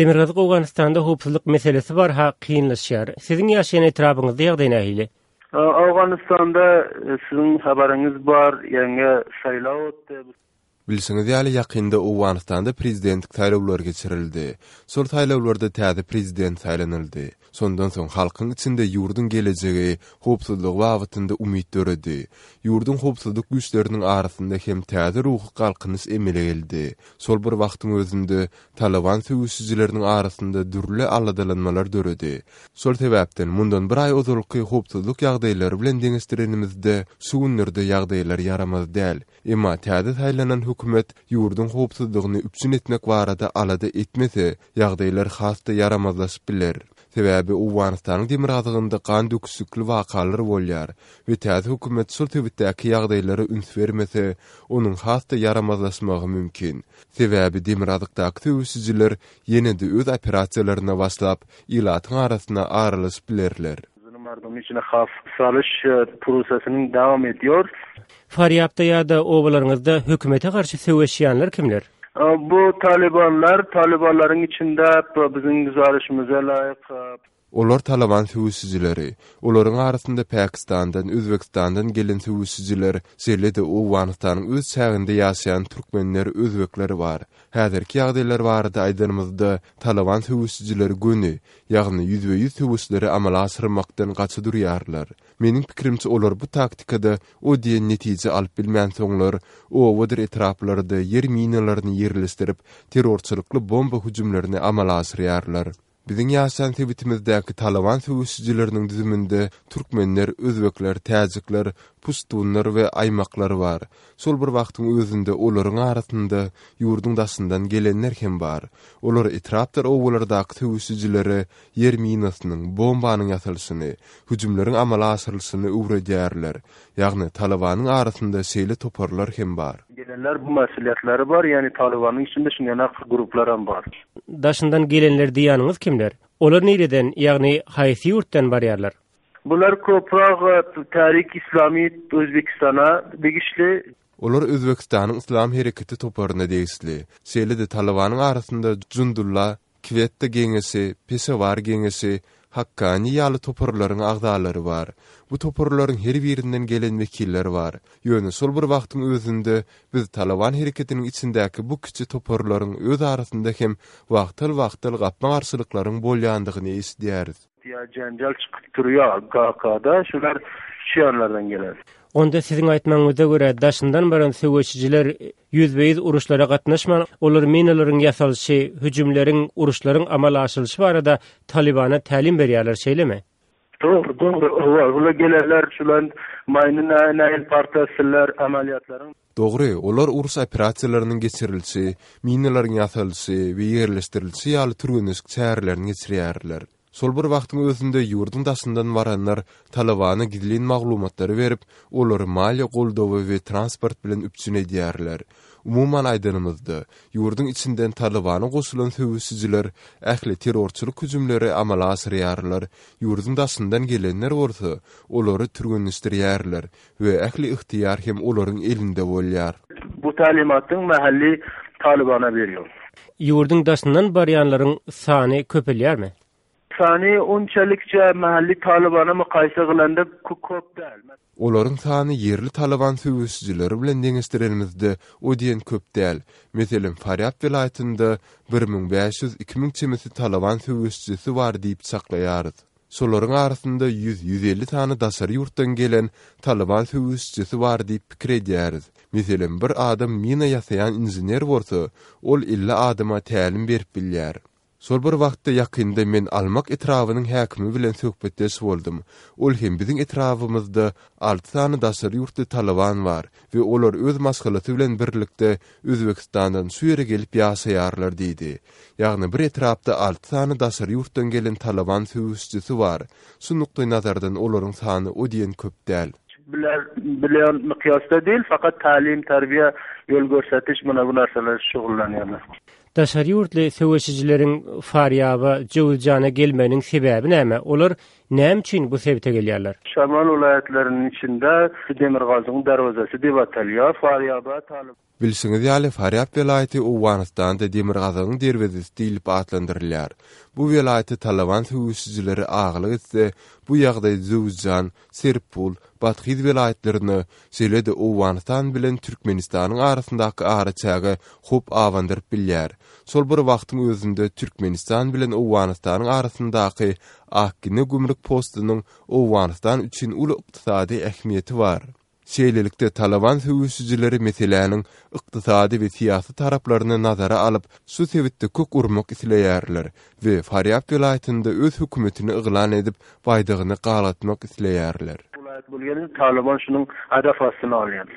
Demirgazyk Owganystanda howpsuzlyk meselesi barha kynlaşýar. Siziň ýaşaýan etrapyňyzda ýagdaý nähili? Owganystanda siziň habaryňyz bar, ýaňy saýlaw otdi. Bilşiňiz ýaly, ýakynda Owganystanda prezidentlik saýlawlary geçirildi. Şol saýlawlarda täze prezident saýlanyldy. Şondan soň halkyň içinde ýurduň gelejegi, howpsuzlygy babatynda umyt döredi. Ýurduň howpsuzlyk güýçleriniň arasynda hem täze ruhy galkynyş emele geldi. Şol bir wagtyň özünde, Talyban söweşijileriniň arasynda dürli aladalanmalar döredi. Şol sebäpden, mundan bir aý ozalky howpsuzlyk ýagdaýlary bilen deňeşdirenimizde, şu günlerde ýagdaýlar ýaramaz däl. Emma täze saýlanan hökümet ýurduň howpsuzlygyny üpjün etmek barada alada etmese, ýagdaýlar has-da ýaramazlaşyp biler. Sebäbi Owganystanyň demirgazygynda gan döküşikli wakalar bolýar we täze hökümet şol sebitdäki ýagdaýlara üns bermese, onuň has-da ýaramazlaşmagy mümkin. Sebäbi demirgazykdaky söweşijiler ýene-de öz operasiýalaryna başlap, ilatyň arasyna aralaşyp bilerler. Farýapda ýa-da obalaryňyzda hökümete garşy söweşýänler kimler? Bu talybanlar, talybanlaryň içinde biziň güzarişimize laýyk. Olar Talaban söweşijileri. Olaryň arasynda Pakistandan, Özbegistandan gelen söweşijiler, şeýle-de Owganystanyň öz çäginde ýaşaýan türkmenler, özbekler bar. Häzirki ýagdaýlar barada aýdanymyzda, Talaban söweşijileri göni, ýagny ýüzbe-ýüz söweşleri amala aşyrmakdan gaça durýarlar. Meniň pikirimçe olar bu taktikada o diýen netije alyp bilmänsoňlar, obadyr etraplarda ýer minalaryny ýerleşdirip, terrorçylykly bomba hüjümlerini amala aşyrýarlar. Biziň ýaşaýan sebitimizdäki Talaban söweşijileriniň düzüminde türkmenler, özbekler, täjikler, puştunlar we aýmaklar bar. Şol bir wagtyň özünde olaryň arasynda ýurduň daşyndan gelenler hem bar. Olar etrapdyr obalardaky söweşijilere ýer minasynyň, bombanyň ýasalyşyny, hüjümleriň amala aşyrylyşyny öwredýärler. Ýagny Talybanyň arasynda şeýle toparlar hem bar. Gelenler bu mesulyýetleri bar, ýagny Talybanyň içinde şunýanak gruplaram bar. Daşyndan gelenler diýýäniňiz kimler? Olar nireden, ýagny haýsy ýurtdan barýarlar? Bular köpräk Tärik Islami Özbekistana degişli. Olar Özbekistanyň Yslam hereketi toparyna degişli. Şeýle-de Talybanyň arasynda Jundulla, Kwetta geňeşi, Peşewar geňeşi, Hakkani ýaly toparlaryň agzalary bar. Bu toparlaryň her birinden gelen wekiller bar. Ýöne şol bir wagtyň özünde biz Talaban hereketiniň içindäki bu kiçi toparlaryň öz arasynda hem wagtal-wagtal gapma-garşylyklaryň bolýandygyny eşidýäris. Ýa jenjel çykyp durýa GK-da şular şu ýanlardan gelen. Onda siziň aýtmagyňyza görä daşyndan baran söweşijiler ýüzbe-ýüz uruşlara gatnaşman, olar minalaryň ýasalyşy, hüjümleriň, uruşlaryň amala aşyrylyşy barada Talybana tälim berýärler, şeýlemi? Dogry, dogry, hawa, bular gelenler şular maýyny nähili partlatdylar, amalýatlaryň. Dogry, olar uruş operasiýalarynyň geçirilişi, minalaryň ýasalyşy we ýerleşdirilişi ýaly türgenleşik çärelerini geçirýärler. Şol bir wagtyň özünde ýurduň daşyndan baranlar Talybana gizlin maglumatlary berip, olary maliýe goldawy we transport bilen üpjün edýärler. Umuman aýdanymyzda, ýurduň içinden Talybana goşulan söweşijiler ähli terrorçylyk hüjümleri amala aşyrýarlar, ýurduň daşyndan gelenler bolsa, olary türgenleşdirýärler we ähli ygtyýar hem olaryň elinde bolýar. Bu talimatyň mahalli Talybana berýär. Ýurduň daşyndan barýanlaryň sany köpelýärmi? Sany onçalikçe mahalli Talybana mukaýsa kylanda köp däl. Olaryň sany ýerli Talyban söweşijileri bilen deňeşdirenimizde o diýen köp däl. Meselem, Farýab welaýatynda 1500, 2000 çemesi Talyban söweşijisi bar diýip çaklaýarys. Şolaryň arasynda ýüz-ýüz elli sany daşary ýurtdan gelen Talyban söweşijisi bar diýip pikir edýäris. Meselem, bir adam mina ýasaýan inžener bolsa, ol 50 adama tälim berip bilýär. Şol bir wagtda ýakynda men Almak etrabynyň häkimi bilen söhbetdeş boldum. Ol hem biziň etrabymyzda alty sany daşary ýurtly Talyban bar we olar öz maşgalasy bilen birlikde Özbegistandan şu ýere gelip ýaşaýarlar diýdi. Ýagny bir etrapda alty sany daşary ýurtdan gelen Talyban söweşijisi bar. Şu nukdaýnazardan olaryň sany o diýen köp däl. Biler bilen mykýasda däl, fakat tälim, terbiýe, ýol görsetiş muna bu narsalar şugullanýarlar. Daşary ýurtly söweşijileriň Farýaba, Jöwüzjana gelmeginiň sebäbi näme? Olar Näme üçin bu sebite gelýärler? Şamal welaýatlarynyň içinde Demirgazygyň derwezesi diýip atalýar. Farýaba Talyban. Bilşiňiz ýaly, Farýab welaýaty Owganystanda Demirgazygyň derwezesi diýlip atlandyrylýar. Bu welaýata Talyban söweşijileri agalyk etse, bu ýagdaý Jöwüzjan, Serpul, Bathyz welaýatlaryna, şeýle-de Owganystan bilen Türkmenistanyň arasyndaky araçäge howp abandyryp bilýär. Şol bir wagtyň özünde Türkmenistan bilen Owganystanyň arasyndaky Akgine gümrük postunyň Owganystan üçin uly ykdysady ähmiýeti bar. Şeýlelikde, Talyban söweşijileri meseläniň ykdysady we syýasy taraplaryny nazara alyp, şu sebitde kök urmak isleýärler we Farýab welaýatynda öz hökümetini yglan edip, baýdagyny galgatmak isleýärler. Welaýat bolýan Talyban şunuň hadaf astyna alýar.